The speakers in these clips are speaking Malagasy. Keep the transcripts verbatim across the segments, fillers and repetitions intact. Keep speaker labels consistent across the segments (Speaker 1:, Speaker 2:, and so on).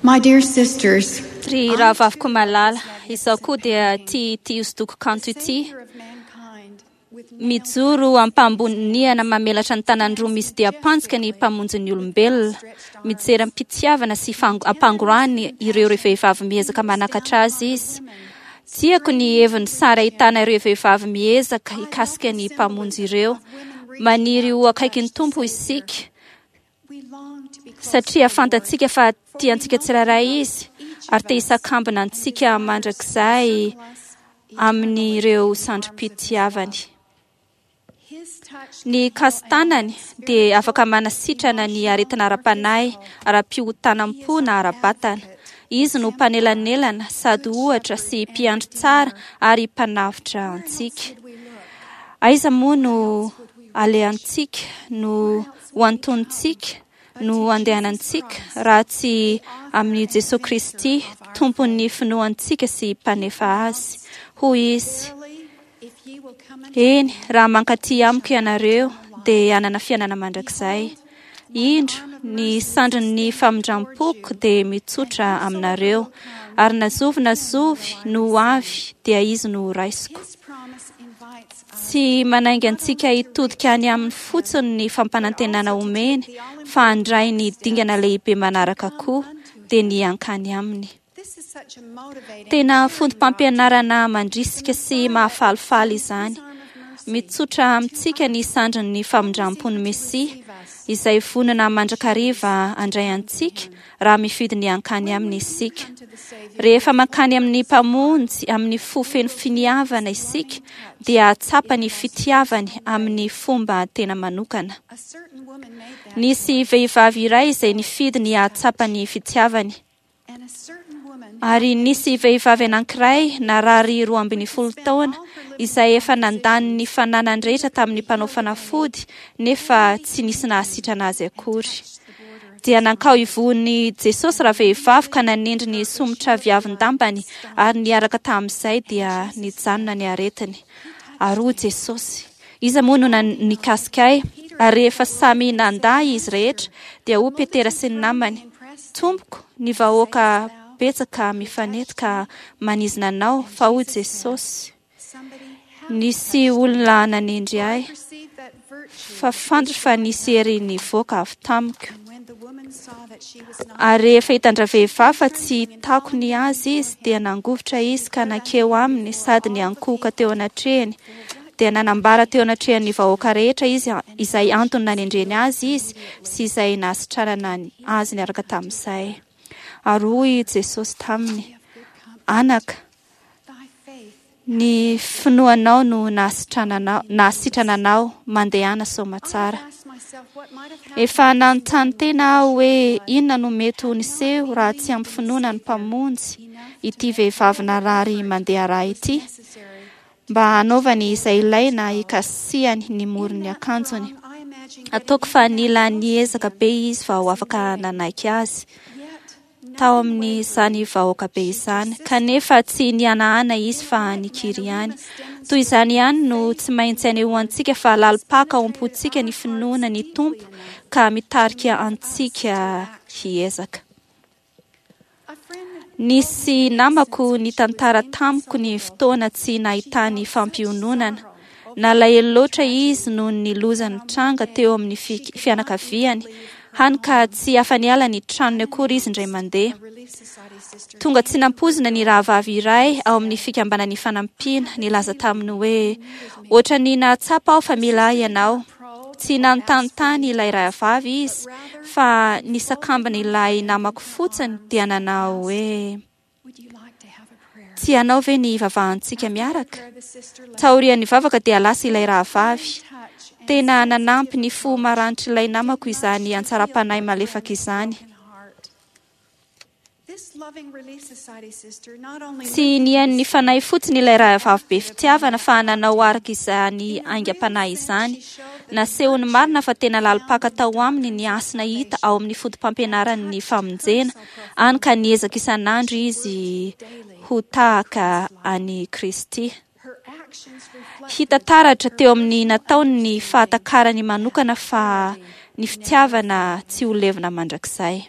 Speaker 1: My dear sisters,
Speaker 2: Ry rahavaviko malala, izaho koa dia tia ity hosodoko kanto ity.
Speaker 1: Savior of mankind, with
Speaker 2: Mijoro am-pamboniana mamelatra ny tanany roa misy diam-pantsika ny mpamonjin'ny olombelona. Mijery am-pitiavana sy fang- ampangorahany ireo vehivavy miezaka manakatra azy izy. Tiako ny heviny sary ahitana ireo vehivavy miezaka hikasika ny mpamonjy ireo. Maniry ho akaikin'ny Tompo isika
Speaker 1: we long to be close
Speaker 2: satria fantatsika fa tiantsika tsirairay izy ary te hisakambina antsika mandrakizay amin'ireo sandrim-pitiavany.
Speaker 1: His touch
Speaker 2: Ny kasi-tanany dia afaka manasitrana ny aretina ara-panahy, ara-pihotanam-po na ara-batana. Izy no mpanelanelana sady ohatra sy mpiandry tsara ary mpanavotra antsika. Aiza moa no alehantsika, no ho antonontsika, no andehanantsika raha tsy amin'i Jesoa Kristy, tompon'ny finoantsika sy mpanefa azy. Hoy izy,
Speaker 1: verily, if ye will come unto
Speaker 2: Eny, raha mankaty amiko ianareo, dia hanana fiainana mandrakizay. Indro, ny sandrin'ny famindram-poko dia mitsotra aminareo, ary na zovy na zovy no ho avy, dia izy no ho raisiko.
Speaker 1: His promise invites us
Speaker 2: Tsy manainga antsika hitodika any aminy fotsiny ny fampanantenana omeny, fa handray ny dingana lehibe manaraka koa, dia ny hankany aminy.
Speaker 1: This is such a motivating
Speaker 2: Tena fotopampianarana mandrisika sy mahafalifaly izany. Mitsotra amintsika ny sandrin'ny famindram-pon'ny Mesia, izay vonona mandrakariva handray antsika raha mifidy ny hankany aminy isika. Rehefa mankany amin'ny mpamonjy amin'ny fo feno finiavana isika, dia hahatsapa ny fitiavany amin'ny fomba tena manokana.
Speaker 1: A certain woman made that
Speaker 2: Nisy vehivavy iray izay nifidy ny hahatsapa ny fitiavany.
Speaker 1: and a certain woman
Speaker 2: Ary nisy vehivavy anankiray narary roa ambin'ny folo taona izay efa nandany ny fananany rehetra tamin'ny mpanao fanafody nefa tsy nisy nahasitrana azy akory. Dia nankao ivohon'i Jesosy rahavehivavy ka nanendry ny somotra viavin-dambany ary niaraka tamin'izay dia nijanona ny aretiny. Ary hoy Jesosy, iza moa no nan- nikasika ahy? Ary rehefa samy nandà izy rehetra, dia hoy Petera sy ny namany, Tompoko, ny vahoaka betsaka mifanety ka manizina anao, fa hoy Jesosy,
Speaker 1: somebody had
Speaker 2: nisy olona nanendry ahy,
Speaker 1: perceived that virtue
Speaker 2: fa fantatro fa nisy hery nivoaka avy tamiko.
Speaker 1: and when the woman saw that she was not
Speaker 2: Ary rehefa hitan-dravehivavy fa tsy takony azy izy, dia nangovitra izy ka nankeo aminy sady niankohoka teo anatrehany. Dia nanambara teo anatrehan'ny vahoaka rehetra izy izay antony nanendreny azy izy sy izay nahasitranana azy niaraka tamin'izay. Ary hoy Jesosy taminy, Anaka,
Speaker 1: thy faith
Speaker 2: ny finoanao no nahasitrananao, nahasitrana anao, mandehana soamatsara.
Speaker 1: I asked myself what might have happened
Speaker 2: Efa nanontany tena aho hoe inona no mety ho niseho raha tsy ampy finoana ny mpamonjy ity vehivavy narary mandeha raha ity,
Speaker 1: necessary
Speaker 2: mba hanaovany izay ilaina hikasihany ny moron'ny akanjony.
Speaker 1: I imagine
Speaker 2: Ataoko fa nila niezaka be izy vao afaka nanaiky azy
Speaker 1: yet
Speaker 2: tao amin'izany vahoaka be izany, kanefa tsy nihanahana izy fa nikiry ihany. Toy izany ihany no tsy maintsy anehoantsika fa lalim-paka ao am-pontsika ny finoana ny Tompo ka mitarika antsika hiezaka.
Speaker 1: a friend
Speaker 2: Nisy namako nitantara tamiko ny fotoana tsy nahitany fampiononana. Nalahelo loatra izy noho ny loza nitranga teo amin'ny fi- fianakaviany, hany ka tsy afa-niala ny tranony akory izy indray mandeha.
Speaker 1: Relief Society sister
Speaker 2: Tonga tsy nampoizina ny rahavavy iray ao amin'ny fikambanan'ny fanampiana nilaza taminy hoe ohatran'ny nahatsapa aho fa mila ahy ianao. Tsy nanontanontany ilay rahavavy izy fa nisakambina ilay namako fotsiny dia nanao hoe
Speaker 1: would you like to have a prayer
Speaker 2: tianao ve ny hivavahantsika miaraka?
Speaker 1: Prayer the sister left
Speaker 2: Taorian'ny vavaka dia lasa ilay rahavavy.
Speaker 1: touch and
Speaker 2: Tena nanampy ny fo maranitr'ilay namako izany antsaram-panahy malefaka izany.
Speaker 1: broken heart This loving Relief Society sister not only
Speaker 2: Tsy nihaino ny fanahy fotsiny ilay rahavavy be fitiavana fa nanao araka izany aingam-panahy izany. Nasehony marina fa tena lalim-paka tao aminy ny hasina hita ao amin'ny fotopampianaran'ny famonjena, hany ka niezaka isan'andro izy ho tahaka an'i Kristy.
Speaker 1: her actions reflect
Speaker 2: Hita taratra teo amin'ny nataony ny fahatakarany manokana fa ny fitiavana tsy ho levona mandrakizay.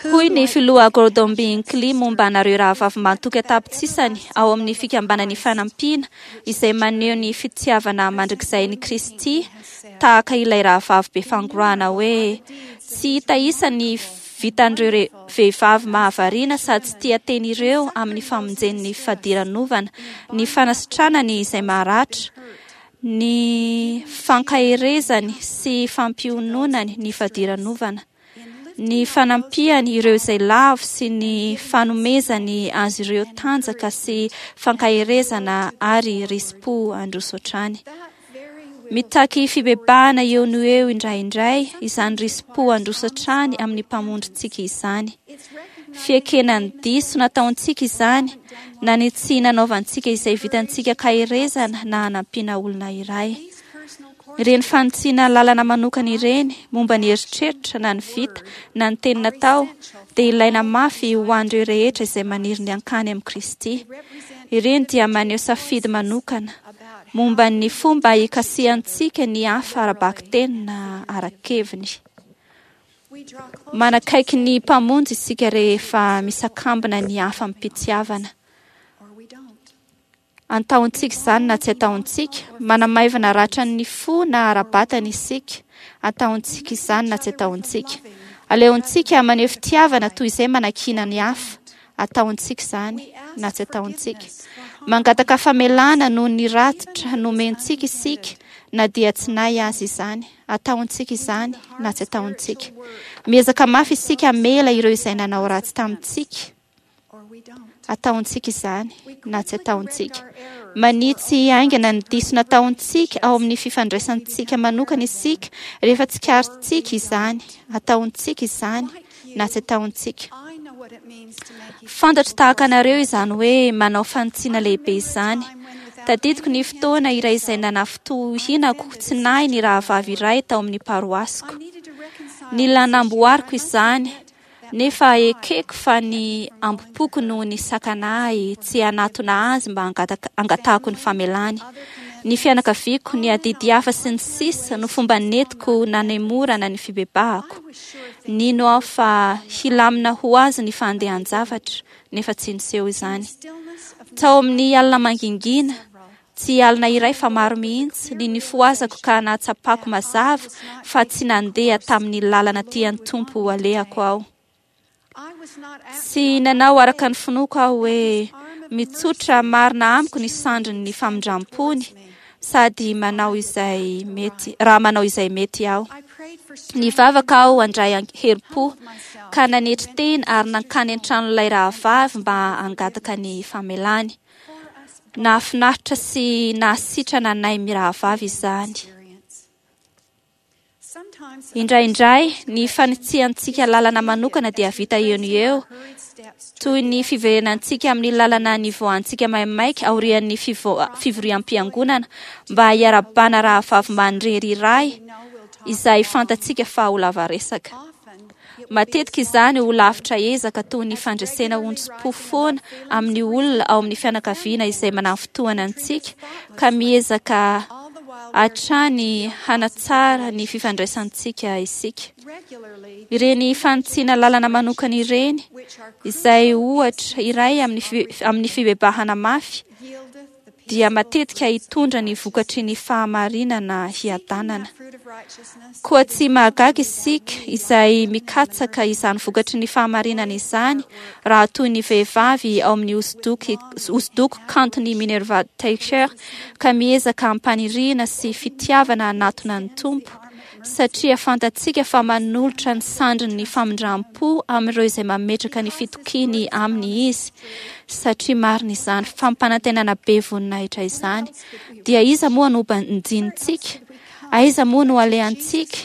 Speaker 2: Hoy ny filoha Gordon B. Hinckley momba anareo rahavavy mahatoky an-tapitrisany ao amin'ny fikambanan'ny fanampiana izay maneho ny fitiavana mandrakizay ny Kristy tahaka ilay rahavavy be fangorahana hoe tsy hita isa ny vitan'ireo vehivavy mahavariana sady tsy tia teny ireo amin'ny famonjen'ny fadiranovana, ny fanasitranany izay maharatra, ny fankaherezany sy fampiononany ny fadiranovana, ny fanampiany ireo izay lavo sy ny fanomezany azy ireo tanjaka sy fankaherezana ary risi-po handroso hatrany. Mitaky fibebahana eo no eo indraindray izany risi-po handroso hatrany amin'ny mpamonjintsika izany. Fiekena ny diso nataontsika izany na ny tsy nanaovantsika izay vitantsika kaherezana na hanampiana olona iray. Ireny fanitsiana lalana manokana ireny momba ny eritreritra na ny vita na ny teny natao dia ilaina mafy ho an'ireo rehetra izay maniry ny hankany amin'i Kristy. Ireny dia maneho safidy manokana momba ny fomba hikasihantsika ny hafa ara-bakiteny na ara-keviny. Manakaiky ny mpamonjy isika rehefa misakambina ny hafa amim-pitiavana. Ataontsika izany na tsy ataontsika, manamaivana ratran'ny fo na ara-batana isika. Ataontsika izany na tsy ataontsika. Aleontsika maneho fitiavana toy izay manakiana ny hafa. Ataontsika izany na tsy ataontsika. Mangataka famelana noho ny ratitra nomentsika isika na dia tsy nahy azy izany. Ataontsika izany na tsy ataontsika. Miezaka mafy isika hamela ireo izay nanao ratsy tamintsika. Ataontsika izany na tsy ataontsika. Manitsy haingana ny diso nataontsika ao amin'ny fifandraisantsika manokana isika rehefa tsikaritsika izany. Ataontsika izany na tsy ataontsika. Fantatro tahaka anareo izany hoe manao fanitsiana lehibe izany. Tadidiko ny fotoana iray izay nanafintohinako tsy nahy ny rahavavy iray tao amin'ny paroasiko. Nila namboariko izany, nefa ekeko fa ny ambom-poko no nisakana ahy tsy hanatona azy mba hangatahako ny famelany. Ny fianakaviako, ny adidy hafa sy ny sisa no fomba nentiko nanemorana ny fibebahako. Nino aho fa hilamina ho azy ny fandehan-javatra, nefa tsy niseho izany. Tao amin'ny alina mangingina, tsy alina iray fa maro mihitsy, ny nifohazako ka nahatsapako mazava fa tsy nandeha tamin'ny lalana tian'ny Tompo alehako aho. Tsy nanao araka ny finoako aho hoe mitsotra marina amiko ny sandrin'ny famindram-pony sady manao izay mety, raha manao izay mety aho. Nivavaka aho handray herim-po ka nanetry tena ary nankany an-tranon'ilay rahavavy mba hangataka ny famelany. Nahafinaritra sy nahasitrana anay mirahavavy izany. Indraindray ny fanitsiantsika lalana manokana dia vita eo no eo, toy ny fiverenantsika amin'ny lalana nivoahantsika maimaika aorian'ny fivoriam-piangonana mba hiarabana rahavavy manirery iray izay fantatsika fa ho lava resaka. Matetika izany ho lavitra ezaka toy ny fandresena onjom-po foana amin'ny olona ao amin'ny fianakaviana izay manafintohina antsika ka miezaka hatrany hanatsara ny fifandraisantsika isika. Ireny fanitsiana lalana manokana ireny, izay ohatra iray amin'ny amin'ny fibebahana mafy, dia matetika hitondra ny vokatry ny fahamarinana hiadanana. Koa tsy mahagaga isika izay mikatsaka izany vokatry ny fahamarinana izany raha toy ny vehivavy ao amin'ny hosodoko hosodoko kanton'i Minerva Teicher ka miezaka ampaniriana sy fitiavana hanatona ny Tompo, satria fantatsika fa manolotra ny sandrin'ny famindram-po amin'ireo izay mametraka ny fitokiany aminy izy, satria marina izany fampanantenana be voninahitra izany. Dia iza moa no banjinintsika? Aiza moa no alehantsika?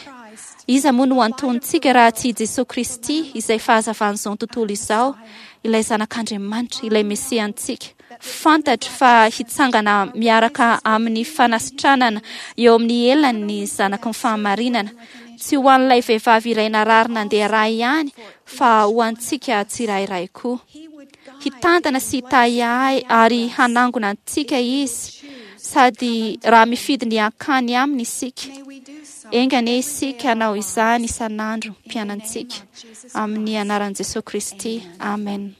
Speaker 2: Iza moa no antonintsika raha tsy i Jesoa Kristy izay fahazavan'izao tontolo izao, ilay Zanak'Andriamanitra, ilay Mesiantsika? Fantatro fa hitsangana miaraka amin'ny fanasitranana eo amin'ny elany ny zanaky ny fahamarinana, tsy ho an'ilay vehivavy iray narary nandeha ra ihany, fa ho antsika tsirairay koa. Hitantana sy hitahy ahy ary hanangona antsika izy, sady raha mifidy ny hankany aminy isika. Enga anie isika hanao izany isan'andro mpianantsika. Amin'ny anaran'i Jesosy Kristy. Amen.